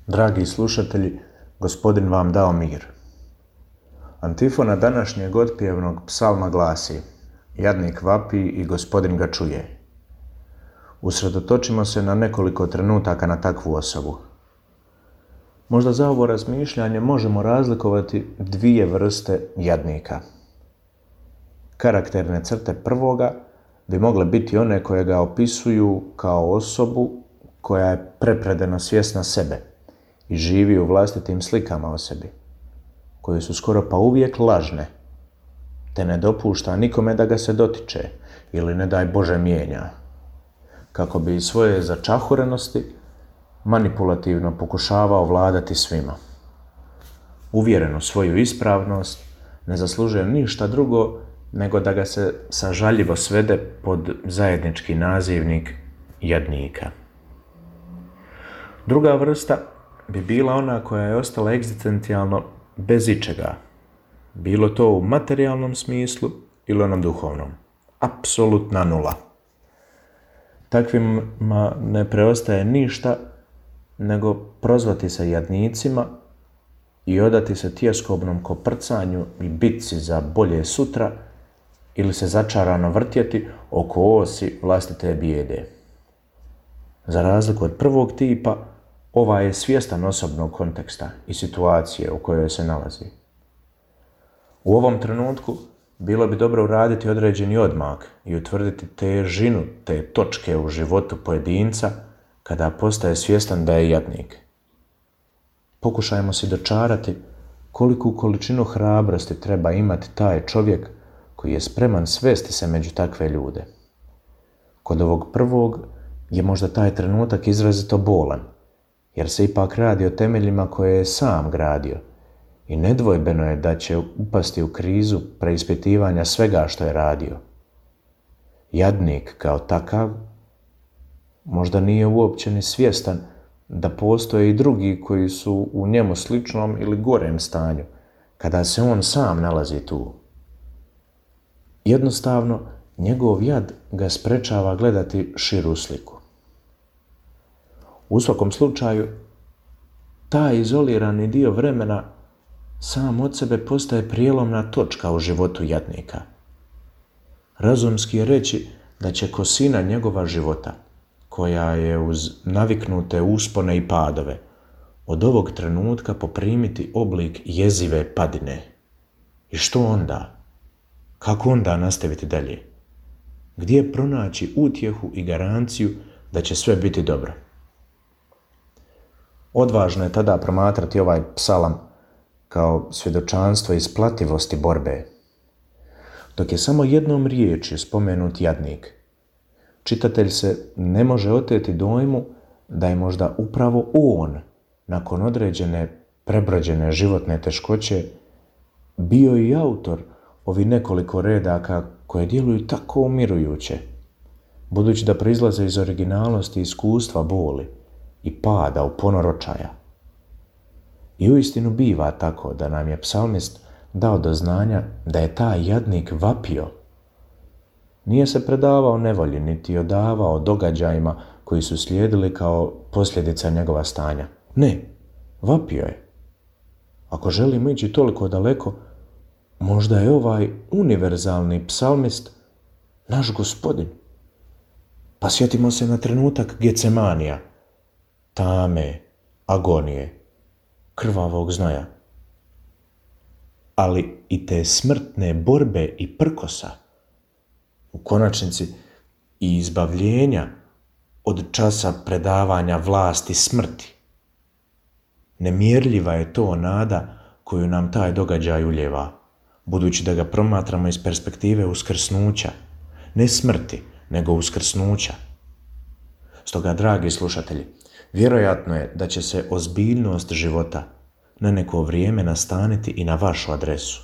Dragi slušatelji, Gospodin vam dao mir. Antifona današnjeg otpjevnog psalma glasi: Jadnik vapi i Gospodin ga čuje. Usredotočimo se na nekoliko trenutaka na takvu osobu. Možda za ovo razmišljanje možemo razlikovati dvije vrste jadnika. Karakterne crte prvoga bi mogle biti one koje ga opisuju kao osobu koja je prepredeno svjesna sebe i živi u vlastitim slikama o sebi, koje su skoro pa uvijek lažne, te ne dopušta nikome da ga se dotiče ili ne daj Bože mijenja, kako bi svoje začahurenosti manipulativno pokušavao vladati svima. Uvjeren u svoju ispravnost, ne zaslužuje ništa drugo nego da ga se sažaljivo svede pod zajednički nazivnik jadnika. Druga vrsta bi bila ona koja je ostala egzistencijalno bez ičega, bilo to u materijalnom smislu ili onom duhovnom. Apsolutna nula. Takvima ne preostaje ništa nego prozvati se jadnicima i odati se tjeskobnom koprcanju i bitci za bolje sutra ili se začarano vrtjeti oko osi vlastite bijede. Za razliku od prvog tipa, ovaj je svjestan osobnog konteksta i situacije u kojoj se nalazi. U ovom trenutku bilo bi dobro uraditi određeni odmak i utvrditi težinu te točke u životu pojedinca kada postaje svjestan da je jadnik. Pokušajmo si dočarati koliku količinu hrabrosti treba imati taj čovjek koji je spreman svesti se među takve ljude. Kod ovog prvog je možda taj trenutak izrazito bolan, jer se ipak radi o temeljima koje je sam gradio i nedvojbeno je da će upasti u krizu preispitivanja svega što je radio. Jadnik kao takav možda nije uopće ni svjestan da postoje i drugi koji su u njemu sličnom ili gorem stanju, kada se on sam nalazi tu. Jednostavno, njegov jad ga sprečava gledati širu sliku. U svakom slučaju, taj izolirani dio vremena sam od sebe postaje prijelomna točka u životu jadnika. Razumski je reći da će kosina njegova života, koja je uz naviknute uspone i padove, od ovog trenutka poprimiti oblik jezive padine. I što onda? Kako onda nastaviti dalje? Gdje pronaći utjehu i garanciju da će sve biti dobro? Odvažno je tada promatrati ovaj psalam kao svjedočanstvo isplativosti borbe. Dok je samo jednom riječju spomenut jadnik, čitatelj se ne može oteti dojmu da je možda upravo on, nakon određene prebrođene životne teškoće, bio i autor ovi nekoliko redaka koje djeluju tako umirujuće, budući da proizlaze iz originalnosti iskustva boli i pada u ponor očaja. I uistinu biva tako da nam je psalmist dao do znanja da je taj jadnik vapio. Nije se predavao nevolji niti odavao događajima koji su slijedili kao posljedica njegova stanja. Ne, vapio je. Ako želimo ići toliko daleko, možda je ovaj univerzalni psalmist naš Gospodin. Pa sjetimo se na trenutak Getsemanija, tame, agonije, krvavog znoja, ali i te smrtne borbe i prkosa, u konačnici i izbavljenja od časa predavanja vlasti smrti. Nemjerljiva je to nada koju nam taj događaj ulijeva, budući da ga promatramo iz perspektive uskrsnuća, ne smrti, nego uskrsnuća. Stoga, dragi slušatelji, vjerojatno je da će se ozbiljnost života na neko vrijeme nastaniti i na vašu adresu,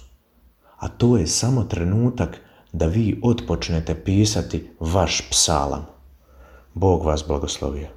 a to je samo trenutak da vi otpočnete pisati vaš psalam. Bog vas blagoslovio.